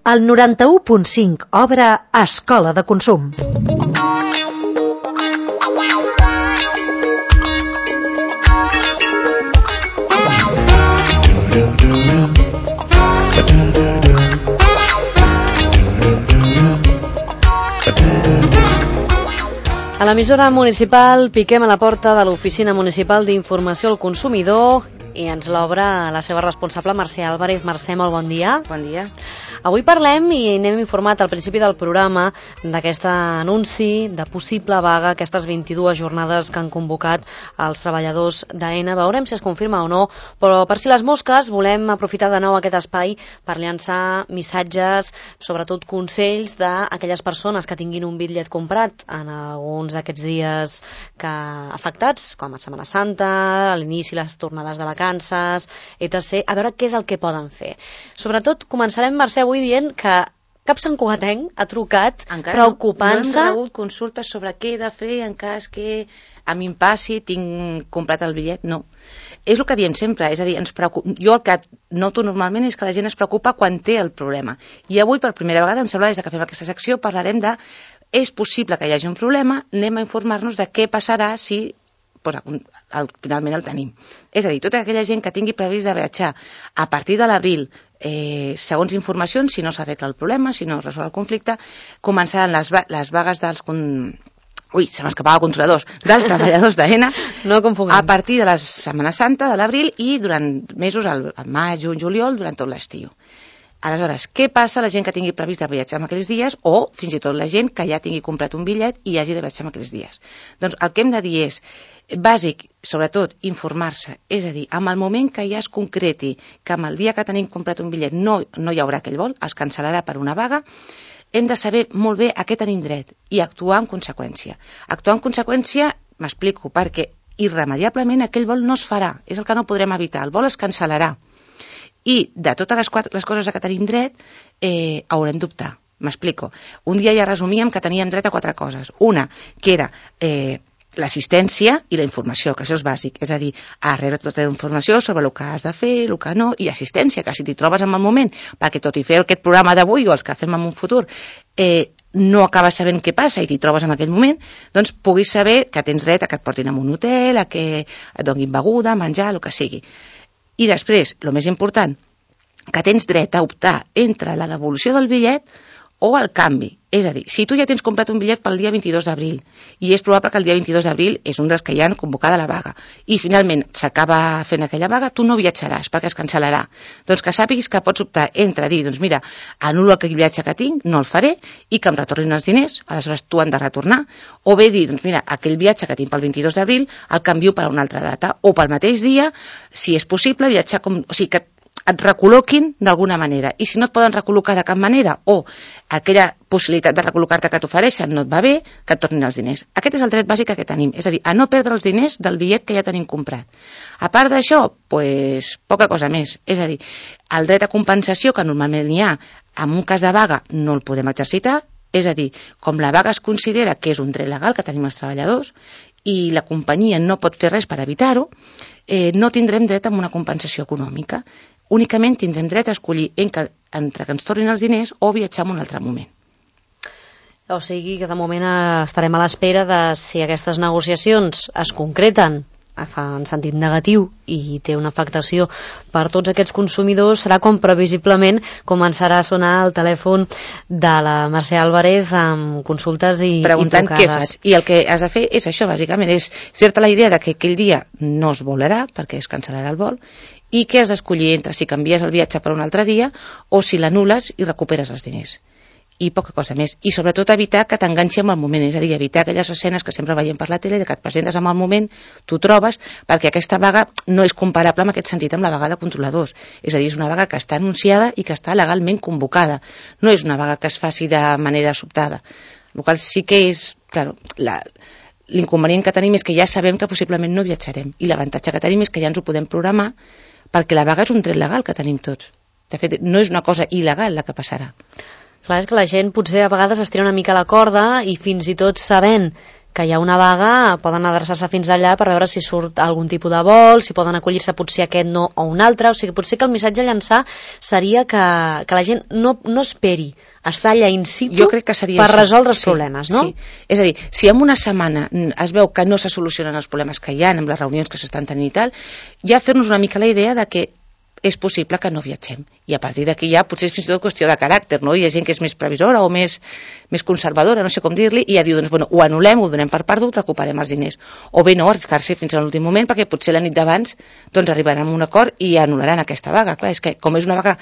El 91.5 obre Escola de Consum. A l'emissora municipal piquem a la porta de l'Oficina Municipal d'Informació al Consumidor i ens l'obre la seva responsable, Mercè Álvarez. Mercè, molt bon dia. Bon dia. Avui parlem i n'hem informat al principi del programa d'aquest anunci de possible vaga, aquestes 22 jornades que han convocat els treballadors d'AENA. Veurem si es confirma o no, però per si les mosques volem aprofitar de nou aquest espai per llançar missatges, sobretot consells d'aquelles persones que tinguin un bitllet comprat en alguns d'aquests dies afectats, com a Setmana Santa, a l'inici les tornades de vacances, etc. A veure què és el que poden fer. Sobretot començarem, Mercè, avui dient que cap santcugatenc ha trucat preocupant-se. No hem rebut consultes sobre què he de fer en cas que a mi em passi, tinc comprat el bitllet, no. És el que diem sempre, és a dir, jo el que noto normalment és que la gent es preocupa quan té el problema. I avui, per primera vegada, em sembla, des que fem aquesta secció, parlarem de és possible que hi hagi un problema, anem a informar-nos de què passarà si finalment el tenim. És a dir, tota aquella gent que tingui previst de viatjar a partir de l'abril, segons informacions, si no s'arregla el problema, si no es resol el conflicte, començaran les vagues dels... se m'escapava controladors, dels treballadors d'AENA, no confonguem, a partir de la Setmana Santa, de l'abril, i durant mesos, al maig, juny, juliol, durant tot l'estiu. Aleshores, què passa a la gent que tingui previst de viatjar en aquells dies o fins i tot la gent que ja tingui comprat un bitllet i hagi de viatjar en aquells dies? Doncs el que hem de dir és, bàsic, sobretot, informar-se. És a dir, en el moment que ja es concreti que amb el dia que tenim comprat un bitllet no hi haurà aquell vol, es cancel·larà per una vaga, hem de saber molt bé a què tenim dret i actuar en conseqüència. Actuar en conseqüència, m'explico, perquè irremediablement aquell vol no es farà, és el que no podrem evitar, el vol es cancel·larà. I de totes les coses a què tenim dret, haurem d'optar. M'explico. Un dia ja resumíem que teníem dret a 4 coses. Una, que era l'assistència i la informació, que això és bàsic. És a dir, a rebre tota la informació sobre el que has de fer, el que no, i assistència, que si t'hi trobes en el moment, perquè tot i fer aquest programa d'avui o els que fem en un futur, no acabes sabent què passa i t'hi trobes en aquell moment, doncs puguis saber que tens dret a que et portin a un hotel, a que et donin beguda, menjar, el que sigui. I després, el més important, que tens dret a optar entre la devolució del bitllet o el canvi. És a dir, si tu ja tens comprat un bitllet pel dia 22 d'abril i és probable que el dia 22 d'abril és un dels que ja han convocada la vaga i finalment s'acaba fent aquella vaga, tu no viatjaràs perquè es cancel·larà. Doncs que sàpiguis que pots optar entre dir, doncs mira, anul·lo aquell viatge que tinc, no el faré i que em retornin els diners, aleshores tu han de retornar, o bé dir, doncs mira, aquell viatge que tinc pel 22 d'abril el canvio per a una altra data, o pel mateix dia, si és possible, viatjar o sigui, que et recol·loquin d'alguna manera, i si no et poden recol·locar de cap manera o aquella possibilitat de recol·locar-te que t'ofereixen no et va bé, que et tornin els diners. Aquest és el dret bàsic que tenim, és a dir, a no perdre els diners del bitllet que ja tenim comprat. A part d'això, doncs, poca cosa més. És a dir, el dret a compensació que normalment hi ha en un cas de vaga no el podem exercitar, és a dir, com la vaga es considera que és un dret legal que tenim els treballadors i la companyia no pot fer res per evitar-ho, no tindrem dret a una compensació econòmica. Únicament tindrem dret a escollir entre que ens tornin els diners o viatjar en un altre moment. O sigui que de moment estarem a l'espera de si aquestes negociacions es concreten en sentit negatiu i té una afectació per tots aquests consumidors, serà com previsiblement començarà a sonar el telèfon de la Mercè Álvarez amb consultes i preguntant trucades. Què fas. I el que has de fer és això, bàsicament, és fer-te la idea de que aquell dia no es volarà perquè es cancel·larà el vol i que has d'escollir entre si canvies el viatge per un altre dia o si l'anul·les i recuperes els diners. I poca cosa més. I sobretot evitar que t'enganxi amb el moment, és a dir, evitar aquelles escenes que sempre veiem per la tele, de que et presentes en el moment, t'ho trobes, perquè aquesta vaga no és comparable en aquest sentit amb la vaga de controladors. És a dir, és una vaga que està anunciada i que està legalment convocada. No és una vaga que es faci de manera sobtada. El qual sí que és, clar, l'inconvenient que tenim és que ja sabem que possiblement no viatjarem. I l'avantatge que tenim és que ja ens ho podem programar perquè la vaga és un dret legal que tenim tots. De fet, no és una cosa il·legal la que passarà. Clar, és que la gent potser a vegades estira una mica la corda i fins i tot sabent que hi ha una vaga, poden adreçar-se fins allà per veure si surt algun tipus de vol, si poden acollir-se potser aquest no o un altre, o sigui, potser que el missatge a llançar seria que la gent no esperi estar allà in situ per resoldre els problemes, no? Sí. És a dir, si en una setmana es veu que no se solucionen els problemes que hi ha amb les reunions que s'estan tenint i tal, ja fer-nos una mica la idea de que és possible que no viatgem. I a partir d'aquí ja potser és fins i tot qüestió de caràcter, no? Hi ha gent que és més previsora o més conservadora, no sé com dir-li, i ja diu, doncs, bueno, ho anul·lem, ho donem per perdut, recuperem els diners. O bé no, arriscar-se fins a l'últim moment, perquè potser la nit d'abans doncs arribaran a un acord i anul·laran aquesta vaga. Clar, és que com és una vaga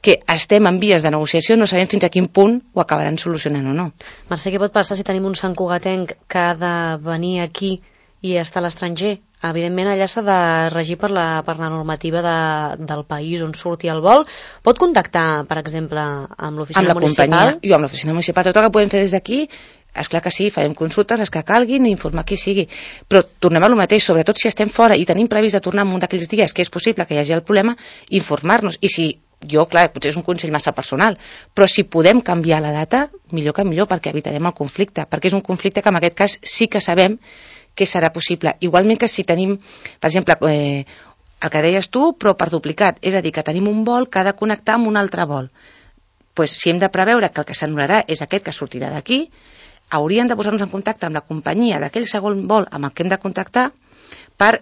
que estem en vies de negociació, no sabem fins a quin punt ho acabaran solucionant o no. Mercè, què pot passar si tenim un santcugatenc que ha de venir aquí i està a l'estranger? Evidentment allà s'ha de regir per la normativa del país on surti el vol. Pot contactar, per exemple, amb l'oficina municipal? Amb la companyia, amb l'oficina municipal. Tot el que podem fer des d'aquí, esclar que sí, farem consultes, les que calguin, informar qui sigui. Però tornem a lo mateix, sobretot si estem fora i tenim previst de tornar en un d'aquells dies que és possible que hi hagi el problema, informar-nos. I si jo, clar, potser és un consell massa personal, però si podem canviar la data, millor que millor, perquè evitarem el conflicte, perquè és un conflicte que en aquest cas sí que sabem que serà possible. Igualment que si tenim, per exemple, el que deies tu, però per duplicat, és a dir, que tenim un vol que ha de connectar amb un altre vol. Pues, si hem de preveure que el que s'anul·larà és aquest que sortirà d'aquí, hauríem de posar-nos en contacte amb la companyia d'aquell segon vol amb el que hem de contactar per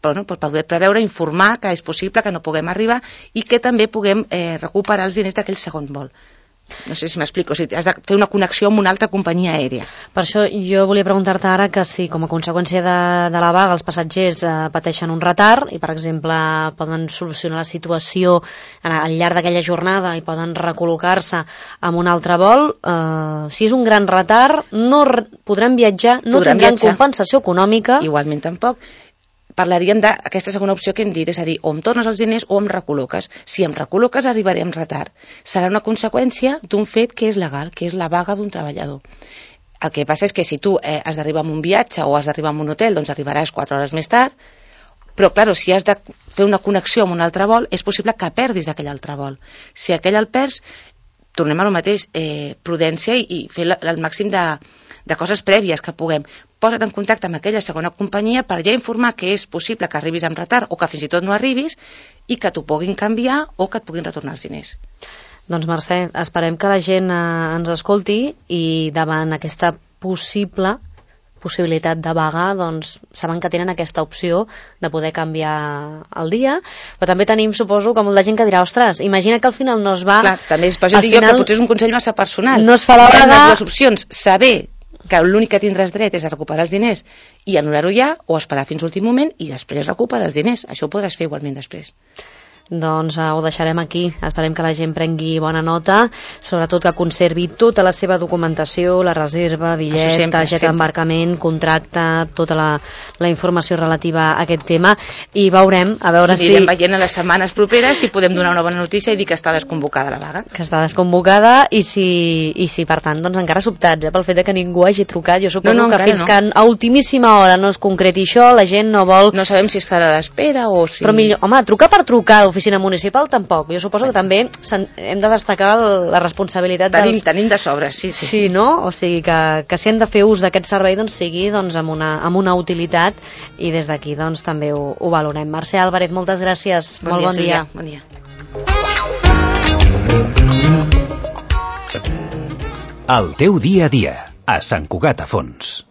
poder preveure, informar que és possible que no puguem arribar i que també puguem recuperar els diners d'aquell segon vol. No sé si m'explico, o sigui, has de fer una connexió amb una altra companyia aèria. Per això jo volia preguntar-te ara que si com a conseqüència de la vaga els passatgers pateixen un retard i per exemple poden solucionar la situació al llarg d'aquella jornada i poden recol·locar-se amb un altre vol, si és un gran retard no podran viatjar, no tindran compensació econòmica. Igualment tampoc. Parlaríem d'aquesta segona opció que hem dit, és a dir, o em tornes els diners o em recol·loques. Si em recol·loques arribaré amb retard. Serà una conseqüència d'un fet que és legal, que és la vaga d'un treballador. El que passa és que si tu has d'arribar amb un viatge o has d'arribar amb un hotel, doncs arribaràs 4 hores més tard, però, clar, si has de fer una connexió amb un altre vol, és possible que perdis aquell altre vol. Si aquell el perds, tornem a lo mateix, prudència i fer el màxim de coses prèvies que puguem. Posa't en contacte amb aquella segona companyia per ja informar que és possible que arribis amb retard o que fins i tot no arribis i que t'ho puguin canviar o que et puguin retornar els diners. Doncs Mercè, esperem que la gent ens escolti i davant aquesta possibilitat de vaga, doncs saben que tenen aquesta opció de poder canviar el dia, però també tenim, suposo, que molta gent que dirà, ostres, imagina que al final no es va... Clar, també és per això dic jo que potser és un consell massa personal. No es fa la vaga... Les dues opcions, saber que l'únic que tindràs dret és a recuperar els diners i anul·lar-ho ja, o esperar fins a l'últim moment i després recuperar els diners. Això ho podràs fer igualment després. Doncs ho deixarem aquí. Esperem que la gent prengui bona nota, sobretot que conservi tota la seva documentació, la reserva, bitllet, targeta d'embarcament, contracte, tota la informació relativa a aquest tema i veurem, a veure si... Anirem veient a les setmanes properes si podem donar una bona notícia i dir que està desconvocada la vaga. Que està desconvocada i si per tant, doncs encara sobtats pel fet que ningú hagi trucat. Jo suposo que fins que a ultimíssima hora no es concreti això, la gent no vol... No sabem si estarà a l'espera o si... Però millor, home, trucar per trucar a l'oficina municipal tampoc. Jo suposo que també hem de destacar la responsabilitat Tenim de sobres, sí. Sí, no? O sigui que si hem de fer ús d'aquest servei doncs sigui amb una utilitat i des d'aquí doncs també ho valorem. Mercè Álvarez, moltes gràcies. Molt bon dia. Bon dia. El teu dia a dia, a Sant Cugat a Fons.